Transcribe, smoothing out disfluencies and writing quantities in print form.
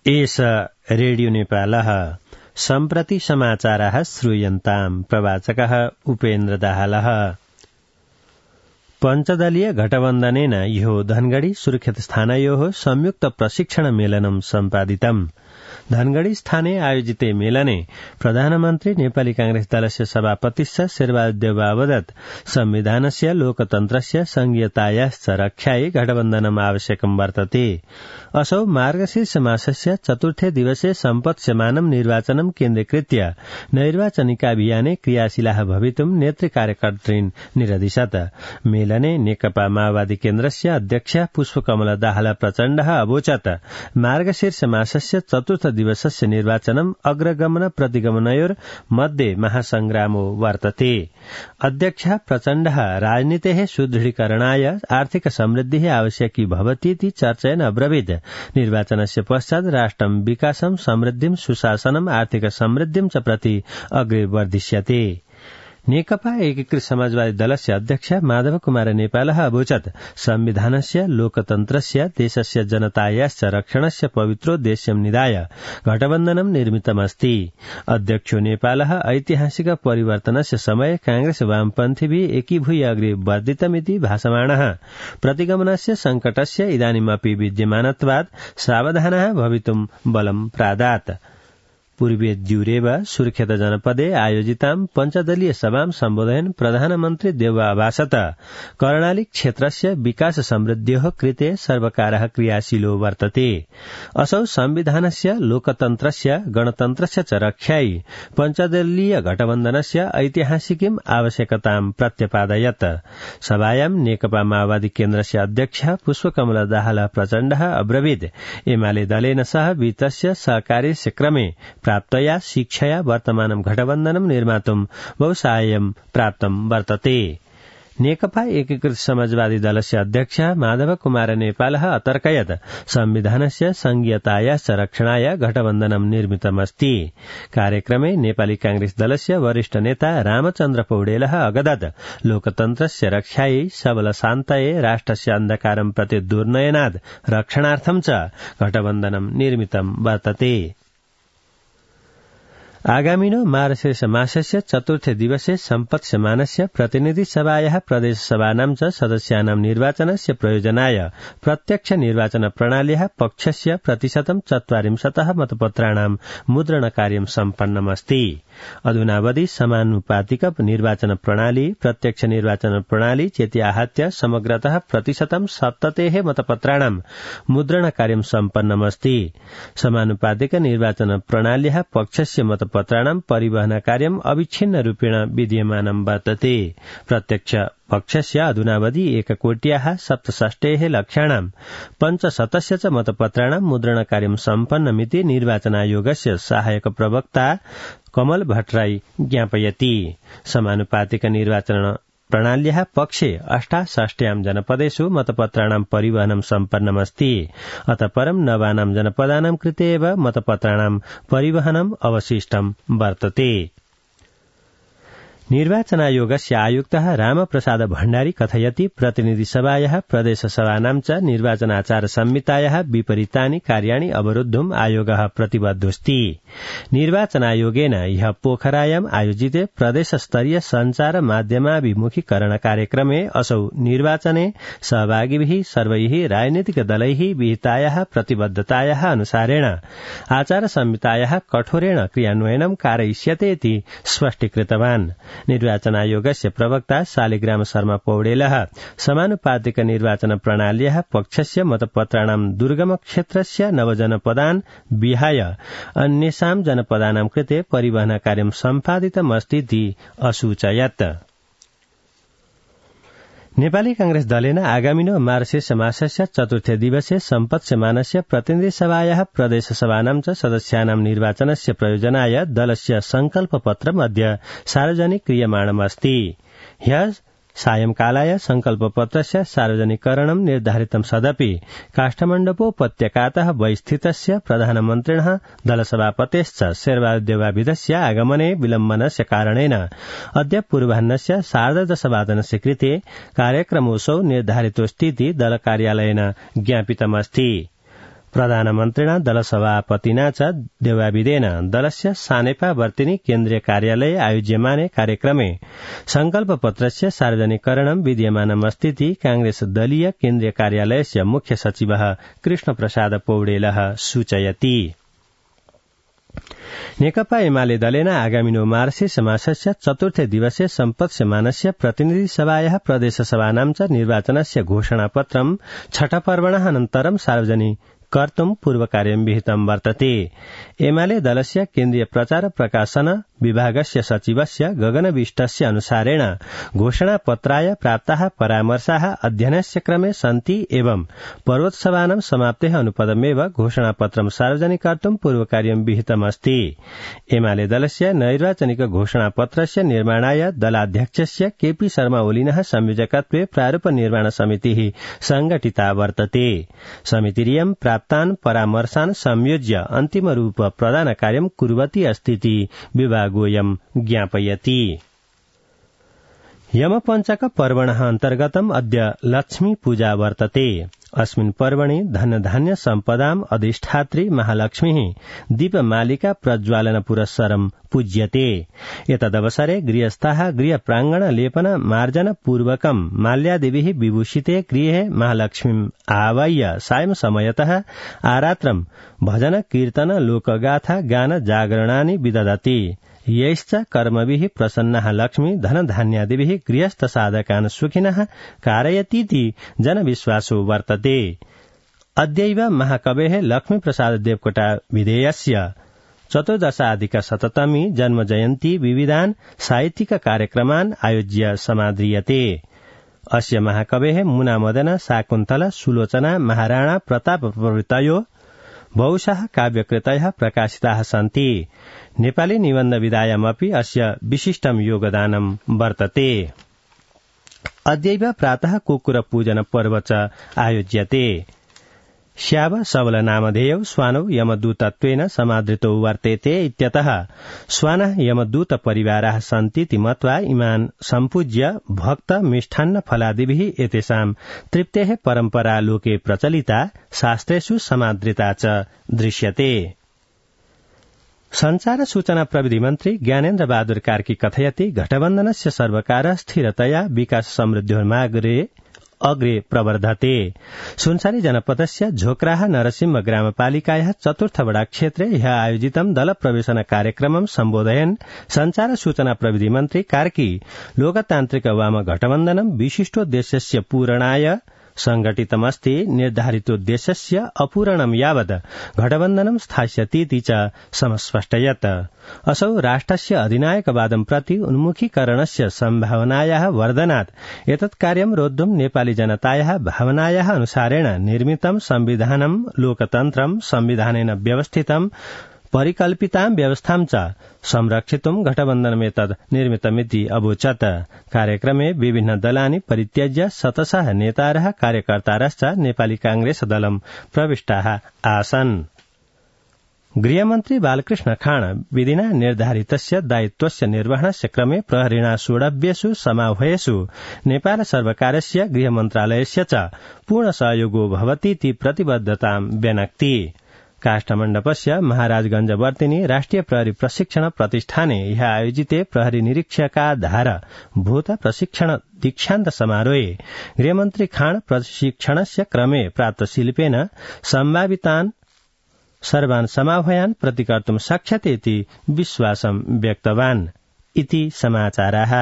एष रेडियो नेपालः सम्प्रति समाचाराः श्रूयन्ताम्। प्रवाचकः उपेन्द्र दाहालः। पञ्चदलीय घटबन्धनेन ह्यो धनगढ़ी सुर्खेत स्थानयोः संयुक्त प्रशिक्षण मेलनं सम्पादितम्। धनगढ़ी स्थाने आयोजिते मेलने प्रधानमन्त्री नेपाली कांग्रेस दलस्य सभापतिश्च शेरबहादुर देउवा अवदत् संविधानस्य लोकतन्त्रस्य संघीयतायाश्च रक्षायै घटबन्धनम् आवश्यकम् वर्तते। असौ मार्गशीर्ष मासस्य चतुर्थे दिवसे सम्पत्स्यमानं निर्वाचनं केन्द्रीकृत्य नैर्वाचनिकाभियाने क्रियाशीलाः भवितुम् नेतृकार्यकर्तॄन् निरदिशत्। मेलने नेकपा माओवादी केन्द्रस्य अध्यक्ष पुष्पकमल दाहाल प्रचण्डः अवोचत् मार्गशीर्ष मासस्य चतुर्थ दिवसस्य निर्वाचनम् अग्रगमन प्रतिगमनयोर् मध्ये महासंग्रामो वर्तते। अध्यक्ष प्रचण्डः राजनीतेः सुदृढीकरणाय आर्थिक समृद्धिः आवश्यकी भवतीति चर्चयन् अब्रवीत्। निर्वाचनस्य पश्चात् राष्ट्रं विकासं समृद्धिं सुशासनम् आर्थिक समृद्धिं च प्रति अग्रे वर्धिष्यते। नेकपा एकीकृत समाजवादी दलस्य अध्यक्ष माधव कुमार नेपालः अवोचत् संविधानस्य लोकतन्त्रस्य देशस्य जनतायाश्च रक्षणस्य पवित्रोद्देश्यं निधाय घटबन्धनं निर्मितमस्ति। अध्यक्षो नेपालः ऐतिहासिक परिवर्तनस्य समये कांग्रेस वामपन्थीभिः एकीभूय अग्रे वर्धितमिति भाषमाणः प्रतिगमनस्य संकटस्य इदानीमपि विद्यमानत्वात् सावधानः भवितुं बलं प्रादात्। पूर्वीय द्यूरेव सुर्खेत जनपदे आयोजितां पञ्चदलीय सभां सम्बोधयन् प्रधानमन्त्री देउवा अभाषत कर्णाली क्षेत्रस्य विकास समृद्ध्योः कृते सर्वकारः क्रियाशीलो वर्तते। असौ संविधानस्य लोकतन्त्रस्य गणतन्त्रस्य च रक्षायै पञ्चदलीय घटबन्धनस्य ऐतिहासिकीम् आवश्यकतां प्रत्यपादयत्। सभायां नेकपा माओवादी केन्द्रस्य अध्यक्ष पुष्पकमल दाहाल प्रचण्डः अब्रवीत् एमाले दलेन सह वित्तस्य सहकार्यस्य क्रमे प्राप्तया शिक्षया वर्तमानं घटबन्धनं निर्मातुं बहुसाहाय्यं प्राप्तं वर्तते। नेकपा एकीकृत समाजवादी दलस्य अध्यक्ष माधव कुमार नेपालः अतर्कयत् संविधानस्य संघीयतायाश्च रक्षणाय घटबन्धनं निर्मितमस्ति। कार्यक्रमे नेपाली कांग्रेस दलस्य वरिष्ठ नेता रामचन्द्र पौडेलः अगदत् लोकतन्त्रस्य रक्षायै सबल शान्तये राष्ट्रस्य अन्धकारं प्रति दुर्नयनाद् रक्षणार्थं च घटबन्धनं निर्मितं वर्तते। आगामिनो मार्गशीर्ष मासस्य चतुर्थे दिवसे सम्पत्स्यमानस्य प्रतिनिधि सभायाः प्रदेश सभानां च सदस्यानां निर्वाचनस्य प्रयोजनाय प्रत्यक्ष निर्वाचन प्रणाल्याः पक्षस्य 40% मतपत्राणां मुद्रणकार्यं सम्पन्नमस्ति। अधुनावधि समानुपातिक निर्वाचन प्रणाली प्रत्यक्ष निर्वाचन प्रणाली चेति आहत्य समग्रतः 70% मतपत्राणां मुद्रणकार्यं सम्पन्नमस्ति। समानुपातिक निर्वाचन प्रणाल्याः पक्षस्य मतपत्राणां परिवहन कार्यम् अविच्छिन्न रूपेण विद्यमानं वर्तते। प्रत्यक्ष पक्षस्य अधुनावधि 1,67,00,000 पञ्चशतस्य च मतपत्राणां मुद्रणकार्यं सम्पन्नमिति निर्वाचन आयोगस्य सहायक प्रवक्ता कमल भट्टराई ज्ञापयति। समानुपातिक निर्वाचन प्रणाल्याः पक्षे 68 जनपदेषु मतपत्राणां परिवहनं सम्पन्नमस्ति। अतः परं नवानां जनपदानां कृते एव मतपत्राणां परिवहनम् अवशिष्टं वर्तते। निर्वाचनायोगस्य आयुक्तः रामप्रसाद भण्डारी कथयति प्रतिनिधि सभायाः प्रदेश सभानां च निर्वाचनाचार संहितायाः विपरीतानि कार्याणि अवरुद्धुम् आयोगः प्रतिबद्धोऽस्ति। निर्वाचनायोगेन ह्यः पोखरायाम् आयोजिते प्रदेशस्तरीय सञ्चार माध्यमाभिमुखीकरण कार्यक्रमे असौ निर्वाचने सहभागिभिः सर्वैः राजनीतिक दलैः विहितायाः प्रतिबद्धतायाः अनुसारेण आचार संहितायाः कठोरेण क्रियान्वयनं कारयिष्यते इति स्पष्टीकृतवान्। निर्वाचन आयोगस्य प्रवक्ता शालिग्राम शर्मा पौडेलः समानुपातिक निर्वाचन प्रणाल्याः पक्षस्य मतपत्राणां दुर्गम क्षेत्रस्य नवजनपदान् विहाय अन्येषां जनपदानां कृते परिवहन कार्यं सम्पादितमस्तीति असूचयत्। नेपाली कांग्रेस दलेन आगामिनो मार्गशीर्ष मासस्य चतुर्थे दिवसे सम्पत्स्यमानस्य प्रतिनिधि सभायाः प्रदेश सभानां च सदस्यानां निर्वाचनस्य प्रयोजनाय दलस्य संकल्प पत्रम् अद्य सार्वजनिक क्रियमाणमस्ति। ह्यः सायंकालाय संकल्प पत्रस्य सार्वजनिकरणं निर्धारितं सदपि काष्ठमण्डपोपत्यकातः बहिस्थितस्य प्रधानमन्त्रिणः दलसभापतेश्च शेरबहादुर देउवाविधस्य आगमने विलम्बनस्य कारणेन अद्य पूर्वाह्नस्य 10:30 कृते कार्यक्रमोऽसौ निर्धारितोऽस्तीति दलकार्यालयेन ज्ञापितमस्ति। प्रधानमन्त्रिणा दलसभापतिना च देवाविदेन दलस्य सानेपा वर्तिनी केन्द्रीय कार्यालये आयोज्यमाने कार्यक्रमे संकल्पपत्रस्य सार्वजनिकरणं विद्यमानमस्तीति कांग्रेस दलीय केन्द्रीय कार्यालयस्य मुख्य सचिवः कृष्णप्रसाद पौडेलः सूचयति। नेकपा एमाले दलेन आगामिनो मार्गशीर्ष मासस्य चतुर्थे दिवसे सम्पत्स्यमानस्य प्रतिनिधि सभायाः प्रदेशसभानां च निर्वाचनस्य घोषणापत्रं छठपर्वणः अनन्तरं सार्वजनिक कर्तुं पूर्वकार्यं विहितं वर्तते। एमाले दलस्य केन्द्रीय प्रचार प्रकाशन विभागस्य सचिवस्य गगनविष्टस्य अनुसारेण घोषणापत्राय प्राप्ताः परामर्शाः अध्ययनस्य क्रमे सन्ति एवं पर्वोत्सवानां समाप्तेः अनुपदमेव घोषणापत्रं सार्वजनिक कर्तुं पूर्वकार्यं विहितमस्ति। एमाले दलस्य नैर्वाचनिक घोषणापत्रस्य निर्माणाय दलाध्यक्षस्य केपी शर्मा ओलिनः संयोजकत्वे प्रारूप निर्माण समितिः संघटिता वर्तते। समितिरियं प्राप्तान् परामर्शान् संयोज्य अन्तिमरूप प्रदानकार्यं कुर्वती अस्तीति विभागोऽयं ज्ञापयति। यमपञ्चक पर्वणः अन्तर्गतम् अद्य लक्ष्मी पूजा वर्तते। अस्मिन् पर्वणि धनधान्य सम्पदाम् अधिष्ठात्री महालक्ष्मीः दीपमालिका प्रज्वालन पुरस्सरं पूज्यते। एतदवसरे गृहस्थाः गृहप्राङ्गण लेपन मार्जन पूर्वकं माल्यादिभिः विभूषिते गृहे महालक्ष्मीम् आवाह्य सायं समयतः आरात्रं भजन कीर्तन लोकगाथा गान जागरणानि विदधति। यैश्च कर्मभिः प्रसन्नः लक्ष्मी धनधान्यादिभिः गृहस्थ साधकान् सुखिनः कारयतीति जनविश्वासो वर्तते। अद्यैव महाकवेः लक्ष्मीप्रसाद देवकोटा विधेयस्य 14,000 जन्मजयन्ती विविधान् साहित्यिक कार्यक्रमान् आयोज्य समाद्रियते। अस्य महाकवेः मुनामदन शाकुन्तला सुलोचना महाराणा प्रताप प्रभृतयो बहुशः काव्यकृतयः प्रकाशिताः सन्ति। नेपाली निबन्ध विधायामपि अस्य विशिष्टं योगदानं वर्तते। अद्यैव प्रातः कुक्कुर पूजन पर्व च आयोज्यते। श्याव सबल नामधेयौ श्वानौ यमदूतत्वेन समादृतौ वर्तेते इत्यतः श्वानः यमदूत परिवाराः सन्तीति मत्वा इमान् सम्पूज्य भक्त मिष्ठान्न फलादिभिः एतेषां तृप्तेः परम्परा लोके प्रचलिता शास्त्रेषु समादृता च दृश्यते। संचार सूचना प्रविधि मन्त्री ज्ञानेन्द्र बहादुर कार्की कथयति गठबन्धनस्य सर्वकारः स्थिरतया विकास समृद्ध्योर्मार्गे अग्रे प्रवर्धते। सुनसरी जनपदस्य झोक्राह नरसिंह ग्रामपालिकायाः चतुर्थवडा क्षेत्रे ह्यः आयोजितं दल प्रवेशन कार्यक्रमं सम्बोधयन् संचार सूचना प्रविधि मन्त्री कार्की लोकतान्त्रिक वाम गठबन्धनं विशिष्टोद्देश्यस्य पूरणाय संघटितमस्ति। निर्धारितोद्देश्यस्य अपूरणं यावत् गठबन्धनं स्थास्यतीति च समस्पष्टयत्। असौ राष्ट्रस्य अधिनायकवादं प्रति उन्मुखीकरणस्य सम्भावनायाः वर्धनात् एतत् कार्यं रोद्धुं नेपाली जनतायाः भावनायाः अनुसारेण निर्मितं संविधानं लोकतन्त्रं संविधानेन व्यवस्थितं परिकल्पितां व्यवस्थां च संरक्षितुं गठबन्धनमेतद् निर्मितमिति अवोचत्। कार्यक्रमे विभिन्न दलानि परित्यज्य शतशः नेतारः कार्यकर्तारश्च नेपाली कांग्रेस दलं प्रविष्टाः आसन्। गृहमन्त्री बालकृष्ण खाण विधिना निर्धारितस्य दायित्वस्य निर्वहणस्य क्रमे प्रहरिणा सोढव्येषु समाह्वयेषु नेपाल सर्वकारस्य गृहमन्त्रालयस्य च पूर्ण सहयोगो भवतीति प्रतिबद्धतां व्यनक्ति। काष्ठमण्डपस्य महाराजगंजवर्तिनी राष्ट्रिय प्रहरी प्रशिक्षण प्रतिष्ठाने ह्यः आयोजिते प्रहरी निरीक्षकाधार भूत प्रशिक्षण दीक्षान्त समारोहे गृहमन्त्री खाण प्रशिक्षणस्य क्रमे प्राप्त शिल्पेन सम्भावितान् सर्वान् समाह्वयान् प्रतिकर्तुं शक्यते इति विश्वासं व्यक्तवान् इति समाचाराः।